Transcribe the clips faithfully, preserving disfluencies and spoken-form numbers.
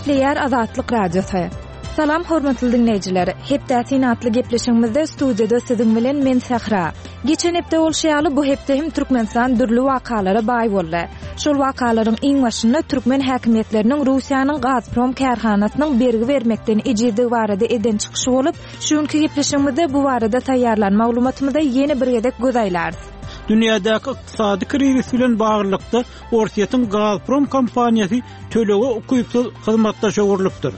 Gepleýär Azatlyk Radiosy. Salam hormatly diňleýjiler. Hepde syn atly gepleşigimizde studiýada siziň bilen men Sahra. Geçen hepde bolşy ýaly bu hepde hem Türkmenistan dürli wakalara baý boldy. Şol wakalaryň iň başynda türkmen häkimiýetleriniň Russiýanyň Gazprom kärhanasynyň bergi bermekden ejizdigi barada eden çykyşy bolup, şu günki gepleşigimizde bu barada taýýarlan maglumatymyza ýene bir gezek göz aýlarys. Dünýädäki ykdysady krizis bilen baglylykda Orsýetiň Gazprom kompaniýasy tölege ukypsyz hyzmatdaş öwrülipdir.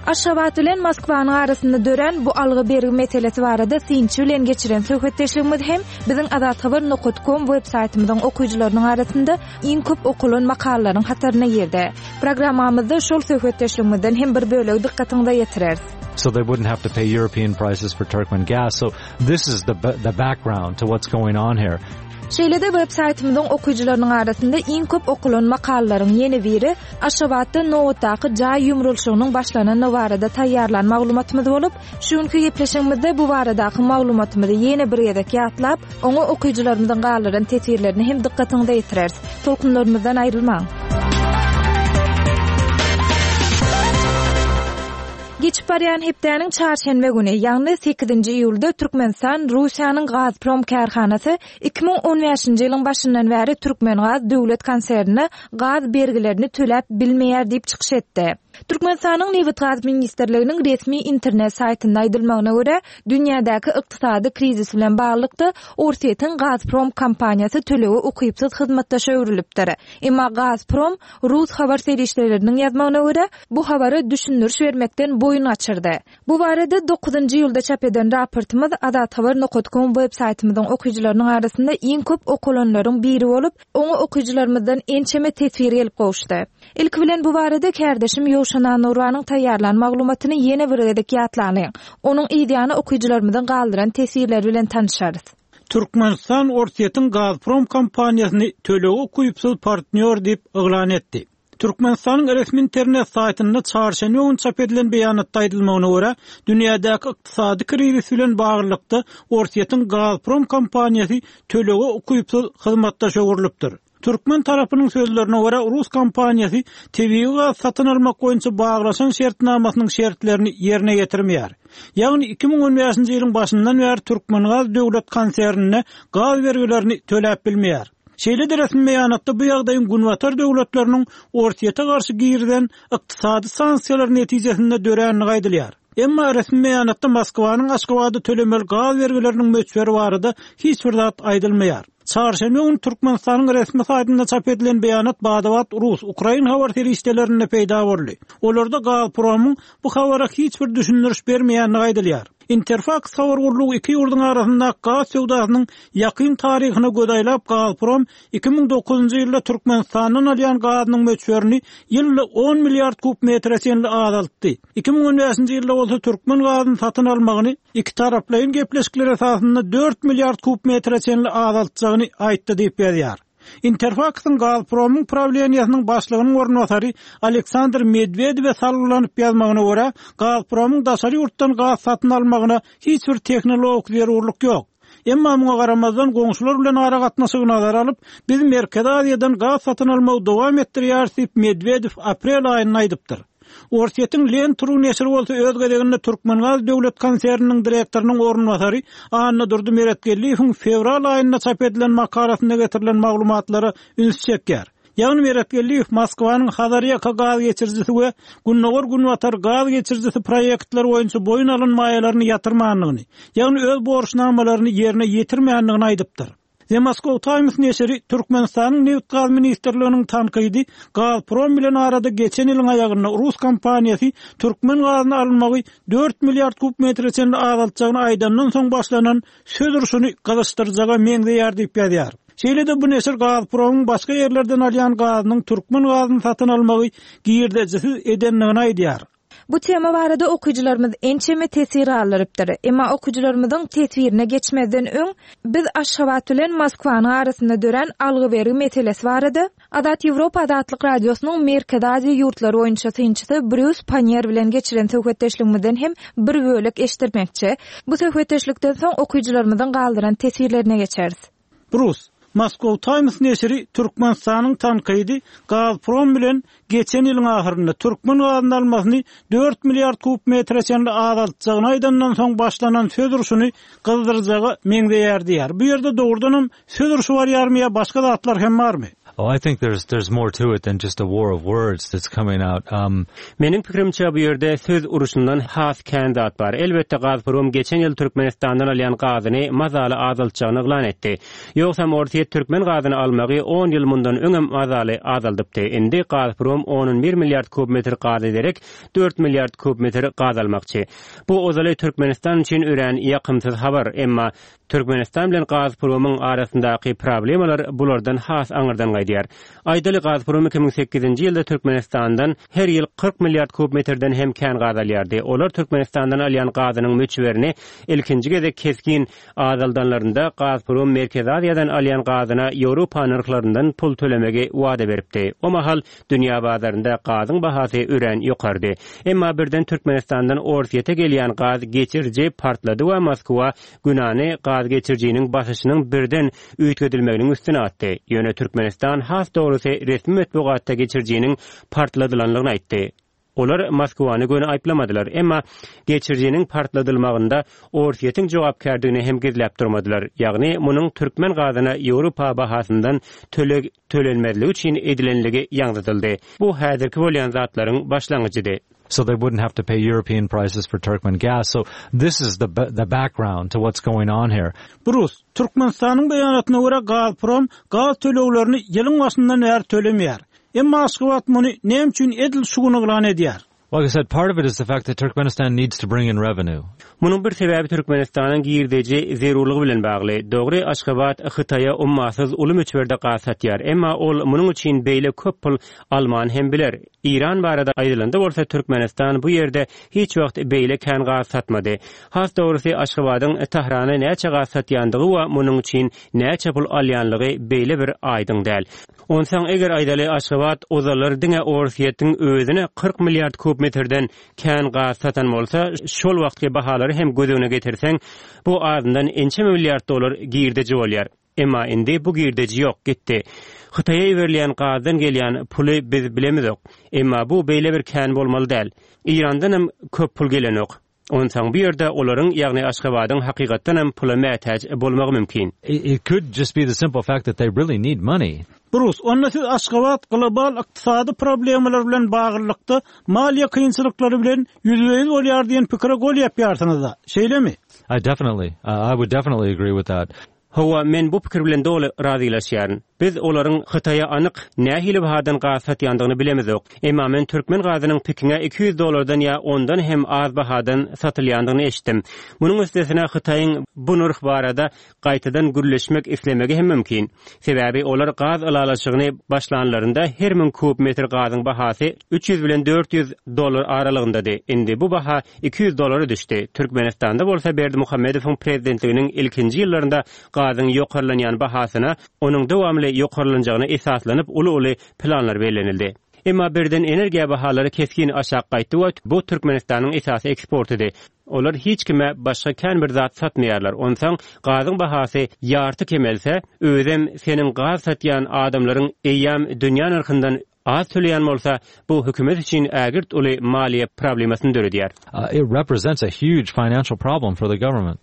Aşgabat bilen Moskwanyň arasynda dörän bu algy bergi meselesi barada synçy bilen geçiren söhbetdeşligimiz hem biziň azathabar nokta com web saýtymyzyň okyjylarynyň arasynda iň köp okulan makalalaryň hataryna girdi. Programmamyzda şol söhbetdeşligimizden hem bir bölegi dykgatyňyza ýetireris. So they wouldn't have to pay European prices for Turkmen gas. So this is the the background to what's going on here. Şeýle-de web saýtymyzyň okyjylarynyň arasynda iň köp okulan makalalaryň ýene biri Aşgabatda nobatdaky jaý ýumrulşygynyň başlanany barada taýýarlan maglumatymyz bolup, şu günki gepleşigimizde bu baradaky maglumatymyzy ýene bir gezek ýatlap, oňa okyjylarymyzyň galdyran teswirlerini hem dykgatyňyza ýetireris. Tolkunlarymyzdan aýrylmaň. Geçip barýan hepdäniň çarşenbe güni, ýagny sekizinji iýulda Türkmenistan Russiýanyň Gazprom kärhanasy iki müň on bäşinji ýylyň başyndan bäri Türkmengaz döwlet konsernine gaz bergilerini töläp bilmeýär diýip çykyş etdi. Türkmenistanyň Nebitgaz ministrliginiň resmi internet saýtynda aýdylmagyna görä, dünýädäki ykdysady krizis bilen baglylykda Orsýetiň Gazprom kompaniýasy tölege ukypsyz hyzmatdaşa öwrülipdir. Emma Gazprom rus habar serişdeleriniň ýazmagyna görä, bu habara düşündiriş bermekden boýun gaçyrdy. Bu barada dokuzynjy ýylda çap eden raportymyz azathabar nokta com web saýtymyzyň okyjylarynyň arasynda iň köp okulanlaryň biri bolup, oňa okyjylarymyzdan ençeme teswir gelip gowuşdy. Ilki bilen bu barada kärdeşim Ýowşan Anurwanyň taýýarlan maglumatyny ýene bir gezek ýatlanyň. Onuň ýany okyjylarymyzyň galdyran teswirleri bilen tanışarys. Türkmenistan Orsýetiň Gazprom kompaniýasyny tölege ukypsyz partnýor diýip yglan etdi. Türkmenistanyň resmi internet saýtynda çarşenbe güni çap edilen beýanatda aýdylmagyna görä, dünýädäki ykdysady krizis bilen baglylykda Orsýetiň Gazprom kompaniýasy tölege ukypsyz hyzmatdaş öwrülipdir. Türkmen tarapynyň sözlerine görä, Rus kompaniýasy tebigy gaz satyn almak boýunça baglaşan şertnamasynyň şertlerini ýerine ýetirmeýär. Ýagny iki müň on bäşinji ýylyň başyndan bäri Türkmengaz döwlet konsernine gaz bergilerini töläp bilmeýär. Şeýle-de resmi beýanatda bu ýagdaýyň Günbatar döwletleriniň Orsýete garşy girilen ykdysady sanksiýalar netijesinde döränligi aýdylýar. Emma resmi beýanatda Moskwanyň Aşgabada tölemeli gaz bergileriniň möçberi barada hiç bir zat aýdylmaýar. Çarşenbe güni Türkmenistanyň resmi saýtynda çap edilen beýanat badabat Rus, Ukrain habar serişdelerinde peýda boldy. Olarda Gazpromyň bu habara hiç bir düşündiriş bermeýänligi aýdylýar. Interfax habar gurlugy iki ýurduň arasynda gaz söwdasynyň ýakyn taryhyna göz aýlap Gazprom iki müň dokuzynjy ýylda Türkmenistandan alýan gazynyň möçberini ýylda on milliard kub metre çenli azaltdy. Iki müň on bäşinji ýylda bolsa türkmen gazyny satyn almagyny iki taraplaýyn gepleşikler esasynda dört milliard kub metre çenli azaltjagyny aýtdy diýip ýazýar. Interfaxyň Gazpromyň prawleniýasynyň başlygynyň orunbasary Aleksandr Medwedewe salgylanyp ýazmagyna görä, Gazpromyň daşary ýurtdan gaz satyn almagyna hiç bir tehnologik zerurlyk ýok. Emma muňa garamazdan goňşular bilen aragatnaşygy nazara alyp, biz Merkezi Aziýadan gaz satyn almagy dowam etdirýäris diýip Medwedew aprel aýynda aýdypdyr. Orsýetiň Lentru neşiri bolsa öz gezeginde Türkmengaz döwlet konserniniň direktorynyň orunbasary Annadurdy Meretgeldiýewiň fewral aýynda çap edilen makalasynda getirilen maglumatlara üns çekýär. Ýagny Meretgeldiýew Moskwanyň Hazarýaka gaz geçirijisi we Gündogar Günbatar gaz geçirijisi proýektleri boýunça boýun alyn maýalaryny ýatyrmandygyny, ýagny öz borçnamalaryny ýerine ýetirmändigini aýdypdyr. The Moscow Times neşiri Türkmenistanyň Nebitgaz ministrliginiň tankydy Gazprom bilen arada geçen ýylyň aýagynda Rus kompaniýasy türkmen gazyny almagy dört milliard kub metre çenli azaltjagyny aýdandan soň başlanan söz urşuny gyzyşdyrjaga meňzeýär diýip ýazýar. Şeýle-de bu neşir Gazpromyň başga ýerlerden alýan gazynyň türkmen gazyny satyn almagy girdejisiz edendigini aýdýar. Bu tema barada okyjylarymyz ençeme teswir galdyrypdyr. Emma okyjylarymyzyň teswirine geçmezden öň biz Aşgabat bilen Moskwanyň arasynda dörän algy bergi meselesi barada Azat Ýewropa Azatlyk Radiosynyň Merkezi Aziýa ýurtlary boýunça synçysy Brýus Pannier bilen geçiren söhbetdeşligimizden hem bir bölek eşitdirmekçi. Bu söhbetdeşlikden soň okyjylarymyzyň galdyran teswirlerine geçeris. Brus, Moscow Times neşiri Türkmenistanyň tankydy Gazprom bilen geçen ýylyň ahyrynda türkmen gazyny almasyny dört milliard kub metre çenli azaltjagyny aýdandan soň başlanan söz urşuny gyzdyrjaga meňzeýär diýýär. Bu ýerde dogrudanam söz urşy barýarmy ýa başga zatlar hem barmy? Oh, I think there's there's more to it than just a war of words that's coming out. Um, Meniň pikirimçe bu ýerde söz urşundan has kän zat bar. Elbetde Gazprom geçen ýyl Türkmenistandan alýan gazyny mazaly azaltjagyny yglan etdi. Ýogsam Orsýet türkmen gazyny almagy on ýyl mundan öňem mazaly azaldypdy. Indi Gazprom on bir milliard kub metr gaza derek dört milliard kub metr gaz almakçy. Bu ozaly Türkmenistan üçin örän ýakymsyz habar, emma Türkmenistan bilen Gazpromyň arasyndaky problemalar bulardan has aňyrdan gaýdýar. Aýdaly Gazprom iki müň sekizinji ýylda Türkmenistandan her ýyl kyrk milliard kub metrden hem kän gaz alýardy. Olar Türkmenistandan alýan gazynyň möçberini ilkinji gezek kesgin azaldanlarynda Gazprom Merkezi Aziýadan alýan gazyna Ýewropa nyrhlaryndan pul tölemegi wada beripdi. O mahal dünýä bazarynda gazyň bahasy örän ýokardy. Emma birden Türkmenistandan Orsýete gelýän gaz geçiriji partlady we Moskwa günäni gaz geçirijiniň basyşynyň birden üýtgedilmeginiň üstüne atdy. Ýöne Türkmenistan has dogrusy resmi metbugatda geçirijiniň partladylanlygyny aýtdy. Olar Moskwany göni aýyplamadylar, emma geçirijiniň partladylmagynda Orsýetiň jogapkärdigini hem gizläp durmadylar. Ýagny munuň türkmen gazyna Ýewropa bahasyndan töleg tölenmezligi üçin edilenligi ýaňzydyldy. Bu häzirki bolýan zatlaryň başlangyjydy. So they wouldn't have to pay European prices for Turkmen gas. So this is the the background to what's going on here. Brus, Türkmenistanyň beýanatyna görä Gazprom gaz töleglerini ýylyň başyndan bäri tölemeýär. Emma Aşgabat muny näme üçin edil şu gün yglan edýär? Like I said, part of it is the fact that Turkmenistan needs to bring in revenue. Munuň bir sebäbi Türkmenistanyň girdeji zerurlygy bilen bagly. Dogry, Aşgabat Hytaýa ummasyz uly möçberde gaz satýar. Emma ol munuň üçin beýle köp pul alman hem biler. Iran barada aýdylanda bolsa Türkmenistan bu ýerde hiç wagt beýle kän gaz satmady. Has dogrusy Aşgabadyň Tahrana näçe gaz satýandygy we munuň üçin näçe pul alýanlygy beýle bir aýdyň däl. Onsoň eger aýdaly Aşgabat ozallar diňe Orsýetiň özüne kyrk milliard kub metrden kän gaz satan bolsa, şol wagtky bahalary hem göz öňüne getirseň, bu azyndan ençeme milliard dollar girdeji bolýar. Emma indi bu girdeji ýok, gitdi. Hytaýa iberilýän gazdan gelýän puly biz bilemizok. Emma bu beýle bir kän bolmaly däl. Irandan hem köp pul gelenok. Onsoň bu ýerde olaryň, ýagny Aşgabadyň hakykatdan hem pula mätäç bolmagy mümkin. It, it could just be the simple fact that they really need money. Brus, onda siz Aşgabat global ykdysady problemalar bilen baglylykda maliýe kynçylyklary bilen ýüzbe-ýüz bolýar diýen pikire gol ýapýarsyňyz-da, şeýlemi? I definitely, uh, I would definitely agree with that. Hawa, men bu pikir bilen doly razylaşýaryn. Biz olaryň Hytaýa anyk nähili bahadan gaz satýandygyny bilemizok. Emma men türkmen gazynyň Pekinge iki ýüz dollardan ýa ondan hem az bahadan satylýandygyny eşitdim. Munuň üstesine Hytaýyň bu nyrh barada gaýtadan gürleşmek islemegi hem mümkin. Sebäbi olar gaz ylalaşygyny başlanlarynda her müň kub metr gazyň bahasy üç ýüz bilen dört ýüz dollar aralygyndady. Indi bu baha iki ýüz dollara düşdi. Türkmenistanda bolsa Berdimuhamedowyň prezidentliginiň ilkinji ýyllarynda gazyň ýokarlanýan bahasyna onuň dowamly ýokarlanjagyna esaslanyp uly-uly planlar bellenildi. Emma birden energiýa bahalary kesgin aşak gaýtdy we bu Türkmenistanyň esasy eksportydy. Olar hiç kime başga kän bir zat satmaýarlar. Onsoň gazyň bahasy ýarty kemelse, özem seniň gaz satýan adamlaryň eýýäm dünýä nyrhyndan az töleýän bolsa, bu hökümet üçin ägirt uly maliýe problemasyny döredýär. Uh, it represents a huge financial problem for the government.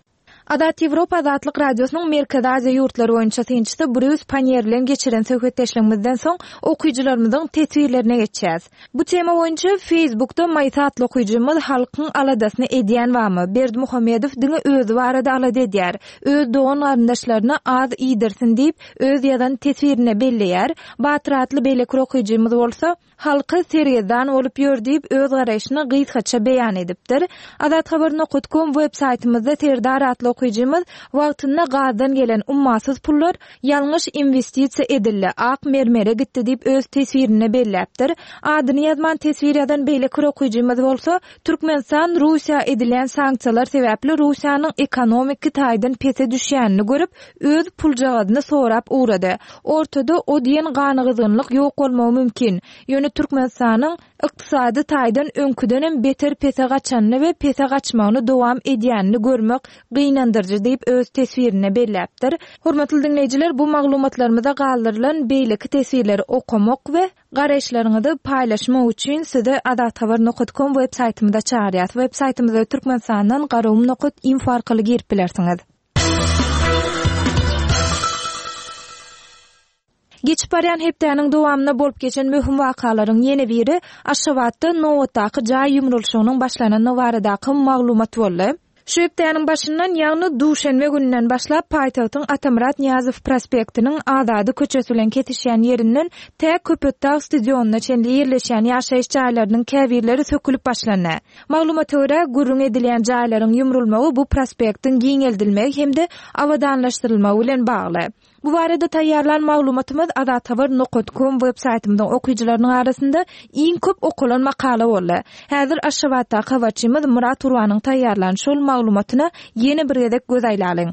Azat Ýewropa Azatlyk Radiosynyň Merkezi Aziýa ýurtlary boýunça synçysy Brýus Pannier bilen geçiren söhbetdeşligimizden soň okyjylarymyzyň teswirlerine geçýäs. Bu tema boýunça Facebookda Maýsa atly okyjymyz halkyň aladasyny edýän wamy Berdimuhamedow diňe özi barada alada edýär. Öz dogan garyndaşlaryna az iýdirsin diýip öz ýazan teswirine belleýär. Batyr atly beýleki okyjymyz bolsa halky sergezdan bolup ýör diýip öz garaýşyny gysgaça beýan edipdir. Azat habar nokta com web saýtymyzda Serdar atly okyjymyz wagtynda gazdan gelen ummasyz pullar ýalňyş investisiýa edildi, ak mermere gitdi diýip öz teswirine belläpdir. Adyny ýazman teswir ýazan beýleki okyjymyz bolsa Türkmenistan Russiýa edilen sanksiýalar sebäpli Russiýanyň ekonomik taýdan pese düşýänini görüp öz puljagazyny sorap ugrady. Ortada o diýen ganygyzgynlyk ýok bolmagy mümkin. Ýöne Türkmenistanyň ykdysady taýdan öňküdenem beter pese gaçanyny we pese gaçmagyny dowam edýänini görmek gynandyrýar gynandyryjy diýip öz teswirinde belläpdir. Hormatly diňleýjiler, bu maglumatlarymyza galdyrylan beýleki teswirleri okamak we garaýyşlaryňyzy paýlaşmak üçin sizi azathabar nokta com web saýtymyza çagyrýas. Web saýtymyza Türkmenistandan garagum nokta info arkaly girip bilersiňiz. Geçip barýan hepdäniň dowamynda bolup geçen möhüm wakalaryň ýene biri Aşgabatda nobatdaky jaý ýumrulyşygynyň başlanany baradaky maglumat boldy. Şu hepdäniň başyndan, ýagny duşenbe gününden başlap paýtagtyň Atamyrat Nyýazow prospektiniň Azady köçesi bilen kesişýän ýerinden tä Köpetdag stadionyna çenli ýerleşýän ýaşaýyş jaýlarynyň käbirleri sökülip başlandy. Maglumata görä, gürrüň edilýän jaýlaryň ýumrulmagy bu prospektiň giňeldilmegi hem-de abadanlaşdyrylmagy bilen bagly. Bu barada taýýarlan maglumatymyz azathabar nokta com web saýtymyzyň okyjylarynyň arasynda iň köp okalan makala boldy. Häzir Aşgabatdaky habarçymyz Murat Gurbanyň taýýarlan şol maglumatyna ýene bir gezek göz aýlalyň.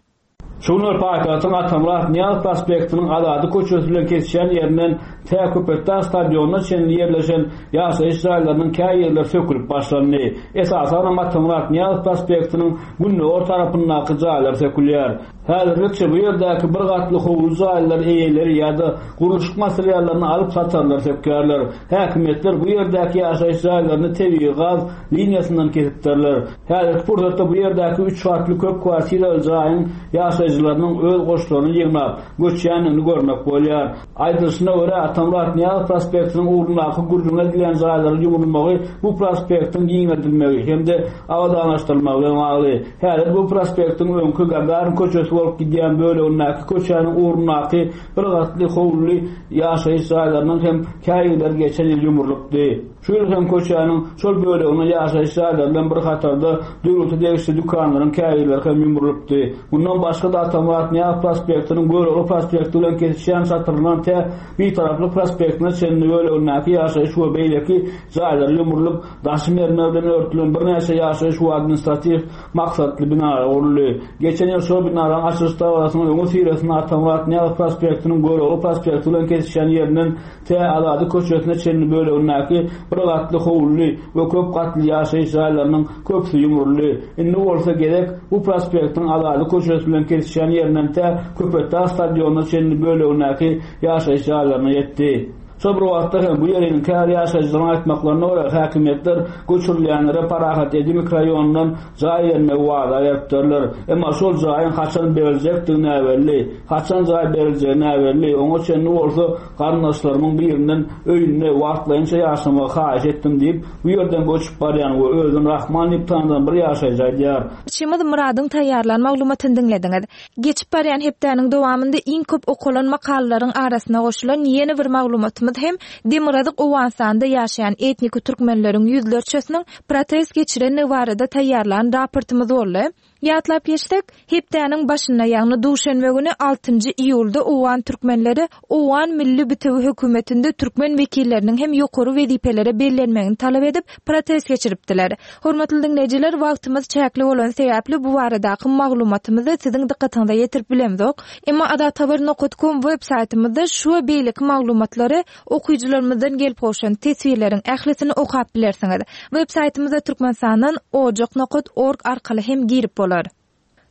Şu günler paýtagtyň Atamyrat Nyýazow prospektiniň Azady köçesi bilen kesişýän ýerinden tä Köpetdag stadionyna çenli ýerleşen ýaşaýyş jaýlarynyň käýerleri sökülip başlandy. Esasanam Atamyrat Nyýazow prospektiniň gündogar tarapyndaky jaýlar sökülýär. Häzirlikçe bu ýerdäki bir gatly howly jaýlar eýeleri ýa-da gurluşyk materiallaryny alyp satarlar sökýärler. Häkimiýetler bu ýerdäki ýaşaýyş jaýlaryny tebigy gaz liniýasyndan kesipdirler. Häzirki pursatda bu ýerdäki üç gatly köp kwartiraly jaýyň ýaşaýjylarynyň öz goşlaryny ýygnap göçýändigini görmek bolýar. Aýdylyşyna görä, Atamyrat Nyýazow prospektiniň ugrundaky gürrüň edilýän jaýlaryň ýumrulmagy bu prospektiň giňeldilmegi hem-de abadanlaşdyrylmagy bilen bagly. Häzir bu prospektiň öňki Gagarin köçesi bolup gidýän bölegindäki köçäniň ugrundaky bir gatly howly ýaşaýyş jaýlarynyň hem käýerleri geçen ýyl ýumrulypdy. Şu ýyl hem köçäniň şol böleginde ýaşaýyş jaýlary bilen bir hatarda döwlete degişli dükanlaryň käýerleri hem ýumrulypdy. Bundan başga da Atamyrat Nyýazow prospektiniň Görogly prospekti bilen kesişýän çatyryndan tä Bitaraplyk prospektine çenli bölegindäki ýaşaýyş we beýleki jaýlar ýumrulyp, daşy mermer bilen örtülen birnäçe ýaşaýyş we administratiw maksatly binalar guruldy. Geçen ýyl şol binalaryň açylyş dabarasynyň öňi syrasynda Atamyrat Nyýazow prospektiniň Görogly prospekti bilen kesişýän ýerinden tä Azady köçesine çenli bölegindäki bir gatly howly we köp gatly ýaşaýyş jaýlarynyň köpüsi ýumruldy. Indi bolsa gezek bu prospektiň Azady köçesi bilen kesişýän ýerinden tä Köpetdag stadionyna çenli bölegindäki ýaşaýyş jaýlaryna ýetdi. Şol bir wagtda hem bu ýeriň käbir ýaşaýjylaryň aýtmaklaryna görä, häkimiýetler göçürilýänlere Parahat Edi mikroraýonyndan jaý bermegi wada beripdirler. Emma şol jaýyň haçan beriljekdigi näbelli, haçan jaý beriljegi näbelli. Oňa çenli bolsa garyndaşlarymyň birinden öýünde wagtlaýynça ýaşamagy haýyş etdim diýip, bu ýerden göçüp barýan we özüni Rahman diýip tanydan bir ýaşaýjy aýdýar. Çymyz Muradyň taýýarlan maglumatyny diňlediňiz. Geçip barýan hepdäniň dowamynda iň köp okalan makalalaryň arasyna goşulan ýene bir maglumatymyz hem Demirgazyk Owganystanda ýaşaýan etnik türkmenleriň ýüzlerçesiniň protest geçirenligi barada taýýarlan raportymyz boldy. Ýatlap geçsek, hepdäniň başynda, ýagny duşenbe güni altynjy iýulda Owgan türkmenleri Owgan Milli Bitewi hökümetinde türkmen wekilleriniň hem ýokary wezipelere bellenmegini talap edip protest geçiripdiler. Hormatly diňleýjiler, wagtymyz çäkli bolan sebäpli bu baradaky maglumatymyzy siziň dykgatyňyza ýetirip bilemzok. Emma azathabar nokta com web saýtymyzda şu we beýleki maglumatlary okyjylarymyzdan gelip gowşan teswirleriň ählisini okap bilersiňiz. Web saýtymyza Türkmenistandan ojak nokta org arkaly hem girip bolar.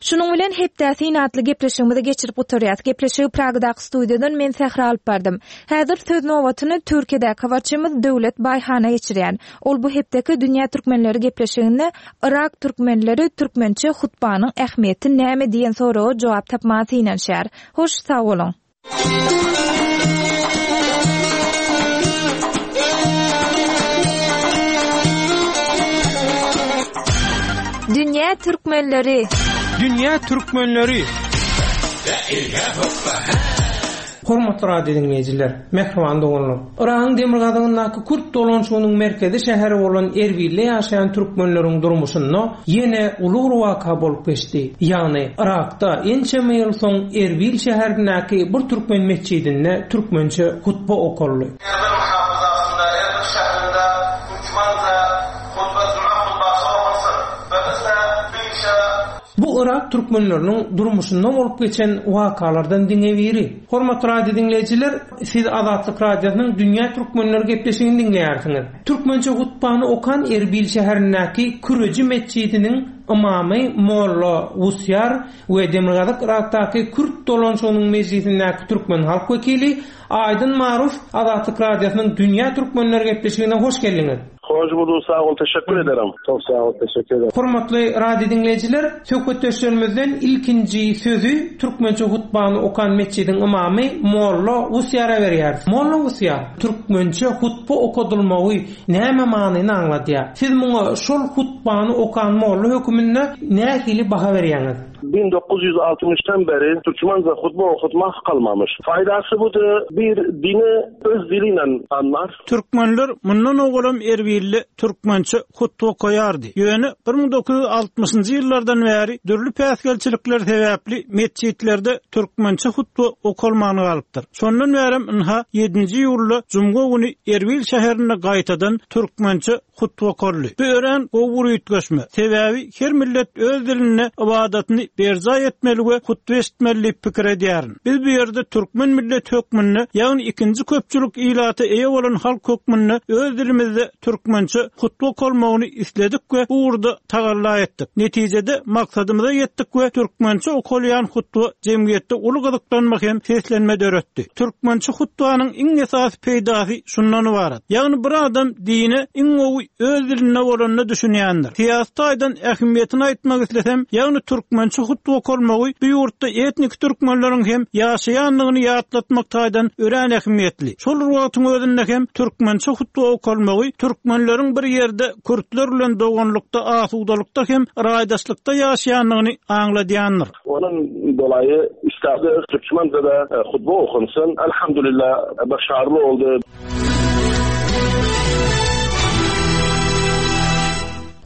Şunuň bilen hepde synatly gepleşigimizi geçirip gutarýas. Gepleşigi Pragadaky studiýadan men Sähra alyp bardym. Häzir söz nobatyny Türkiýedäki habarçymyz Döwlet Baýhana geçirýän. Ol bu hepdeki Dünýä Türkmenleri gepleşiginde Irak türkmenleri türkmençe hutbanyň ähmiýeti näme diýen soraga jogap tapmaga synanyşýar. Hoş sag boluň. Dünýä Türkmenleri. Dünýä Türkmenleri. Hormatly radio dinleýjiler, mähriban doganlar. Yragyň demirgazygyndaky Kürt dolanşygynyň merkezi şäheri bolan Erbilde ýaşaýan türkmenleriň durmuşynda ýene uly bir waka bolup geçdi. Ýagny Yrakda ençeme ýyl soň Erbil şäherindäki bir türkmen mesjidinde türkmençe hutba okaldy. Erbil muhafazasynda, Erbil şäherinde türkmence hutba, juma hutbasy okalsyn we biz-de bu işe Bu Irak türkmenleriniň durmuşynda bolup geçen wakalardan diňe biri. Hormatly radio dinleýjiler, siz Azatlyk Radiosynyň Dünýä Türkmenleri gepleşigini dinleýärsiňiz. Türkmençe hutbany okan Erbil şäherindäki Küreji mesjidiniň ymamy Molla Wusýar we Demirgazyk Yrakdaky Kürt dolanşygynyň mejlisindäki türkmen halk wekili Aýdyn Maruf Azatlyk Radiosynyň Dünýä Türkmenleri gepleşigine hoş geldiňiz. Hoş bulduk, sag bol, teşekkür ederim. Çok sag bol, teşekkür ederim. Hormatly radio diňleýjiler, söhbetdeşlerimizden ilkinji sözi türkmençe hutbany okan metjidiň ymamy Molla Wusýara berýäris. Molla Wusýar, türkmençe hutba okadylmagy näme manyny aňladýar? Siz muňa şol hutbany okan molla höküminde nähili baha berýäňiz? bin dokuz ýüz altmyşdan beri Türkmence hutba okutmak kalmamış. Faydası budur, bir dini öz diliyle anlar. Türkmenler mundan owalam Erbilli türkmençe hutba okaýardy. Ýöne bir müň dokuz ýüz altmyşynjy ýyllardan bäri dürli päsgelçilikler sebäpli metjitlerde türkmençe hutba okalmany galypdyr. Şondan bärem ynha ýedinji iýulda jumga güni Erbil şäherinde gaýtadan türkmençe hutba okaldy. Bu ören gowy üýtgeşme. Sebäbi her millet öz dilinde ibadatyny berjaý etmeli we hutba eşitmeli diýip pikir edýärin. Biz bu ýerde türkmen millet hökmünde, ýagny ikinji köpçülik ilata eýe bolan halk hökmünde öz dilimizde türkmençe hutba okalmagyny isledik we bu ugurda tagalla etdik. Netijede maksadymyza ýetdik we türkmençe okalýan hutba jemgyýetde uly gyzyklanma hem seslenme döretdi. Türkmençe hutbanyň iň esasy peýdasy şundan ibarat. Ýagny bir adam dine iň gowy öz dilinde bolanyny düşünýändir. Syýasy taýdan ähmiýetini aýtmak islesem, ýagny türkmençe hutba okalmagy bu ýurtda etnik türkmenleriň hem ýaşaýanlygyny ýatlatmak taýdan örän ähmiýetli. Şol wagtyň özünde hem türkmençe hutba okalmagy türkmenleriň bir ýerde kürtler bilen doganlykda, asudalykda hem raýdaşlykda ýaşaýanlygyny aňladýandyr. Onuň dolaýy istedi Türkmende de hutba okunsun. Elhamdülillah başarılı oldu.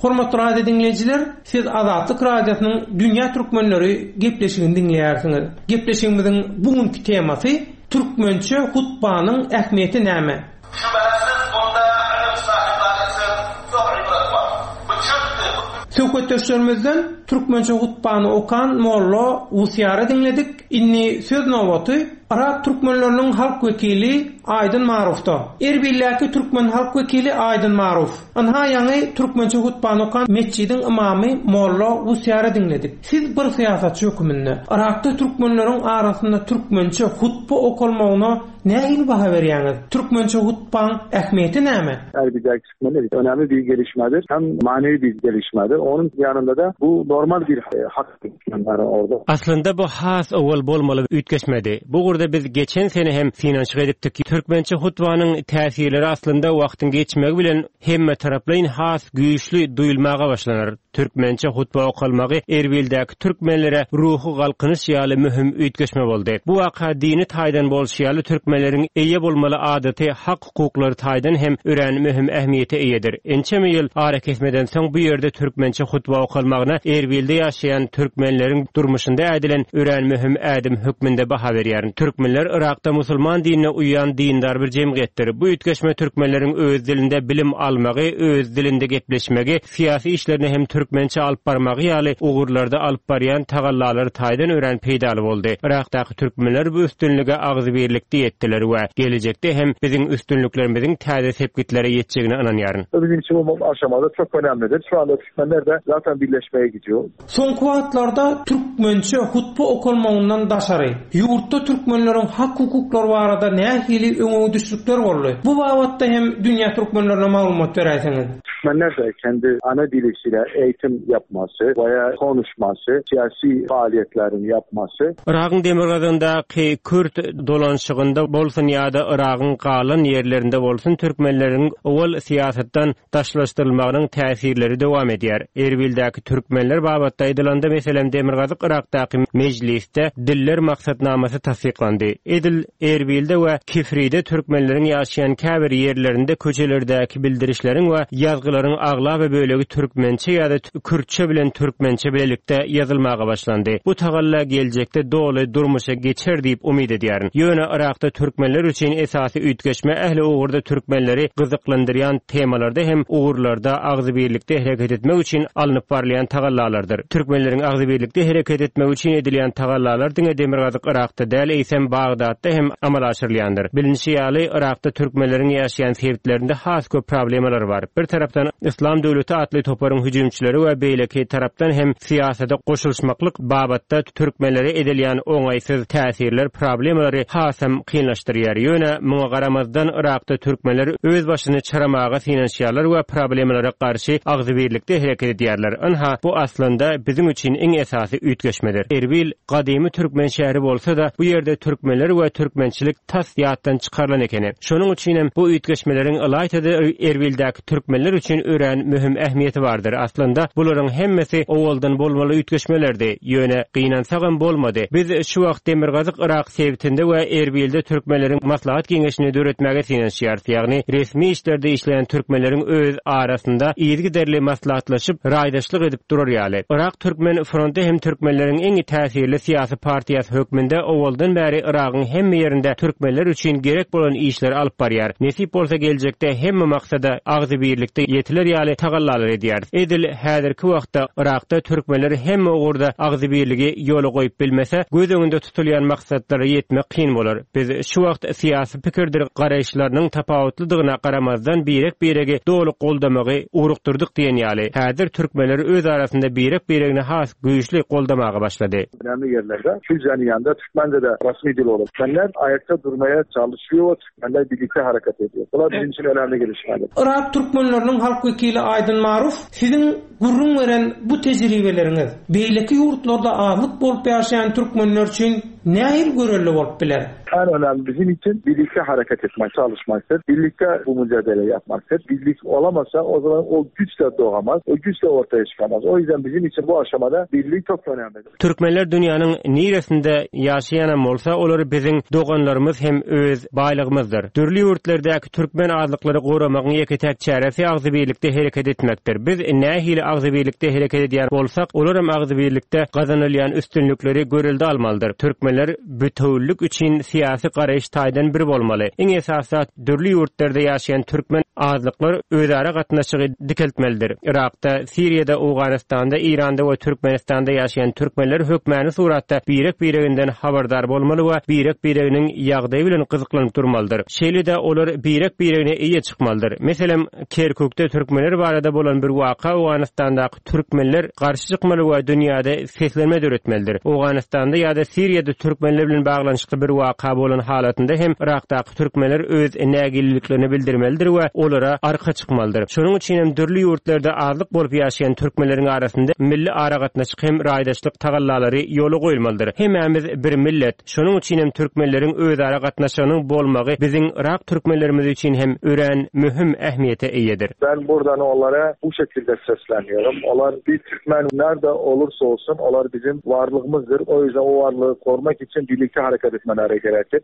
Hormatly radio diňleýjiler, siz Azatlyk Radiosynyň Dünýä Türkmenleri gepleşigini diňleýärsiňiz. Gepleşigimiziň bugünkü temasy türkmençe hutbanyň ähmiýeti näme? Şübhesiz bunda ilim sahipleri üçin çok ibret bar. Bu çünki Söhbetdeşlerimizden türkmençe hutbany okan Molla Wusýary diňledik. Indi söz nobaty Irak türkmenleriniň halk wekili Aýdyn Marufda. Erbilläki türkmen halk wekili Aýdyn Maruf. Ynha ýaňy türkmençe hutbany okan metjidiň ymamy Molla Wusýary diňledik. Siz bir syýasatçy höküminde Irakda türkmenleriň arasynda türkmençe hutba okalmagyna nähili baha berýäňiz? Türkmençe hutbaň ähmiýeti näme? Erbil'deki türkmenler önemli bir gelişmedir. Hem manevi bir gelişmedir. Onun yanında da bu normal bir, e, hak türkmenler orada. Aslında bu has owal bolmaly üýtgeşmedi. Bu ugurda biz geçen sene hem synanyşyk edipdik. Türkmençe hutbanyň täsirleri aslında wagtyň geçmegi bilen hemme taraplaýyn has güýçli duýulmaga başlanar. Türkmençe hutba okalmagy Erbil'däki türkmenlere ruhy galkynyş ýaly möhüm üýtgeşme boldy. Bu waka dini taýdan bolşy ýaly türkmenleriň eýe bolmaly adaty hak hukuklary taýdan hem örän möhüm ähmiýete eýedir. Ençeme ýyl ara kesmeden soň bu ýerde türkmençe hutba okalmagyna Erbil'de ýaşaýan türkmenleriň durmuşynda ädilen örän möhüm ädim hökmünde baha berýär. Türkmenler Irakda musulman dinine uýan dindar bir jemgyýetdir. Bu üýtgeşme türkmenleriň öz dilinde bilim almagy, öz dilinde gepleşmegi, syýasy işlerini hem türkmençe alyp barmagy ýaly ugurlarda alyp barýan tagallalary taýdan örän peýdaly boldy. Irakdaky türkmenler bu üstünlige agzybirlikde ýetdiler we gelejekde hem biziň üstünliklerimiziň täze sepgitlere ýetjegine ynanýaryn. Bizim için bu aşamada çok önemlidir. Şu anda Türkmenler de zaten birleşmeye gidiyor. Soňky wagtlarda türkmençe hutba okalmagyndan daşary ýurtda türkmenleriň hak hukuklary barada nähili öňe düşlükler boldy? Bu babatda hem dünýä türkmenlerine maglumat beräýseňiz. Türkmenler de kendi ana diliyle eğitim yapması veya konuşması, siyasi faaliyetlerini yapması. Irak'ın demirgazyndaky Kürt dolanşygynda bolsun ýa-da Irak'ın galan ýerlerinde bolsun türkmenleriň owal syýasatdan daşlaşdyrylmagynyň täsirleri dowam edýär. Erbil'däki türkmenler babatda aýdylanda meselem Demirgazyk Irakdaky mejlisde diller maksatnamasy tassyklandy. Edil Erbil'de we Kifride türkmenleriň ýaşaýan käbir ýerlerinde köçelerdäki bildirişleriň we ýazgylaryň aglaba bölegi türkmençe ýa-da kürtçe bilen türkmençe bilelikde ýazylmaga başlandy. Bu tagalla geljekde doly durmuşa geçer diýip umyt edýärin. Ýöne Irakda türkmenler üçin esasy üýtgeşme ähli ugurda türkmenleri gyzyklandyrýan temalarda hem ugurlarda agzybirlikde hereket etmek üçin alnyp barylýan tagallalardyr. Türkmenleriň agzybirlikde hereket etmek üçin edilýän tagallalar diňe Demirgazyk Irakda däl, eýsem Bagdatda hem amala aşyrylýandyr. Bilinişi ýaly Irakda türkmenleriň ýaşaýan sebitlerinde has köp problemalar bar. Bir tarapdan tarapdan Yslam döwleti atly toparyň hüjümçileri we beýleki tarapdan hem syýasata goşulyşmaklyk babatda türkmenlere edilýän oňaýsyz täsirler problemalary hasam kynlaşdyrýar. Ýöne muňa garamazdan Yrakda türkmenler öz başyny çaramaga synanyşýarlar we problemalara garşy agzybirlikde hereket edýärler. Ynha, bu aslynda biziň üçin iň esasy üýtgeşmedir. Erbil gadymy türkmen şäheri bolsa-da, bu ýerde türkmenler we türkmençilik tas ýatdan çykarylan ekeni. Şonuň üçin hem bu üýtgeşmeleriň ylaýta-da Erbildäki türkmenler üçin örän möhüm ähmiýeti bardyr. Aslynda bularyň hemmesi owaldan bolmaly üýtgeşmelerdi. Ýöne gynansagam bolmady. Biz şu wagt Demirgazyk Yrak sebitinde we Erbilde türkmenleriň maslahat geňeşini döretmäge synanyşýarys. Ýagny resmi işlerde işleýän türkmenleriň öz arasynda yzygiderli maslahatlaşyp, raýdaşlyk edip durar ýaly. Yrak Türkmen fronty hem türkmenleriň iň täsirli syýasy partiýasy hökmünde owaldan bäri Yragyň hemme ýerinde türkmenler üçin gerek bolan işleri alyp barýar. Nesip bolsa geljekde hemme maksada agzybirlikde ýetiler ýaly tagallalar edýäris. Edil häzirki wagtda Yrakda türkmenler hemme ugurda agzybirligi ýola goýup bilmese, göz öňünde tutulýan maksatlara ýetmek kyn bolar. Biz şu wagt syýasy pikirdir garaýyşlarynyň tapawutlydygyna garamazdan birek-biregi doly goldamagy ugrukdyrdyk diýen ýaly. Häzir türkmenler öz arasynda birek-biregini has güýçli goldamaga başlady. Önemli yerlerde Kürtçenin yanında Türkmence de resmi dil olur. Türkmenler ayakta durmaya çalışıyor, Türkmenler birlikte hareket ediyor. Bular bizim için önemli gelişmeler. Yrak türkmenleriniň halk wekili Aýdyn Maruf, siziň gürrüň beren bu tejribeleriňiz beýleki ýurtlarda azlyk bolup ýaşaýan türkmenler üçin nähili görelde bolup biler? En önemli bizim için birlikte hareket etmek, çalışmaktır. Birlikte bu mücadele yapmaktır. Birlik olamazsa o zaman o güç de doğamaz, o güç de ortaya çıkamaz. O yüzden bizim için bu aşamada birlik çok önemlidir. Türkmenler dünýäniň niresinde ýaşaýanam bolsa, olary biziň doganlarymyz hem öz baýlygymyzdyr. Dürli ýurtlardaky türkmen azlyklary goramagyň ýeke-täk çäresi agzybirlikde hereket etmekdir. Biz nähili agzybirlikde hereket edýän bolsak, olaram agzybirlikde gazanylýan üstünlikleri görelde almalydyr. Türkmenler bütewlik üçin syýasy garaýyş taýdan bir bolmaly. Iň esasy zat dürli ýurtlarda ýaşaýan türkmen azlyklar özara gatnaşygy dikeltmelidir. Irakda, Siriýada, Owganystanda, Iranda we Türkmenistanda ýaşaýan türkmenler hökmäni suratda birek-bireginden habardar bolmaly we birek-bireginiň ýagdaýy bilen gyzyklanyp durmalydyr. Şeýle-de olar birek-biregine eýe çykmalydyr. Meselem, Kerkükde türkmenler barada bolan bir waka Owganystandaky türkmenler garşy çykmaly we dünýäde seslenme döretmelidir. Owganystanda ýa-da Siriýada türkmenler bilen baglanyşykly bir waka bolan halatynda hem Irakdaky türkmenler öz nägileliklerini bildirmelidir we olara arka çykmalydyr. Şonuň üçin hem dürli ýurtlarda azlyk bolup ýaşaýan türkmenleriň arasynda milli aragatnaşyk hem raýdaşlyk tagallalary ýola goýulmalydyr. Hemmämiz bir millet. Şonuň üçin hem türkmenleriň özara gatnaşygynyň bolmagy biziň Irak türkmenlerimiz üçin hem örän möhüm ähmiýete eýedir. Ben buradan onlara bu şekilde sesleniyorum. Onlar bir Türkmen nerede olursa olsun onlar bizim varlığımızdır. O yüzden o varlığı korumak için birlikte hareket etmeleri gerekir.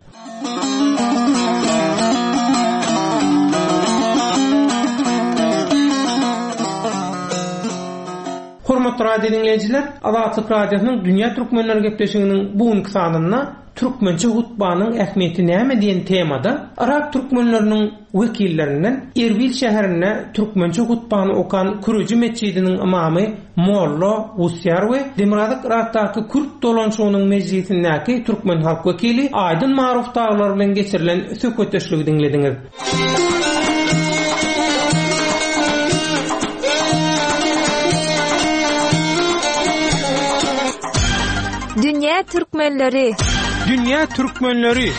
Hormatly radio dinleýjiler, Azatlyk Radiosynyň Dünýä Türkmenleri gepleşiginiň bu günki sanynda türkmençe hutbanyň ähmiýeti näme diýen temada Irak türkmenleriniň wekillerinden Erbil şäherinde türkmençe hutbany okan Küreji metjidiniň imamy Molla Wusýar we Demirgazyk Irakdaky Kürt dolanşygynyň mejlisindäki türkmen halk wekili Aýdyn Maruf daglar bilen geçirilen söhbetdeşligi diňlediňiz. Dünýä Türkmenleri. Dünýä Türkmenleri.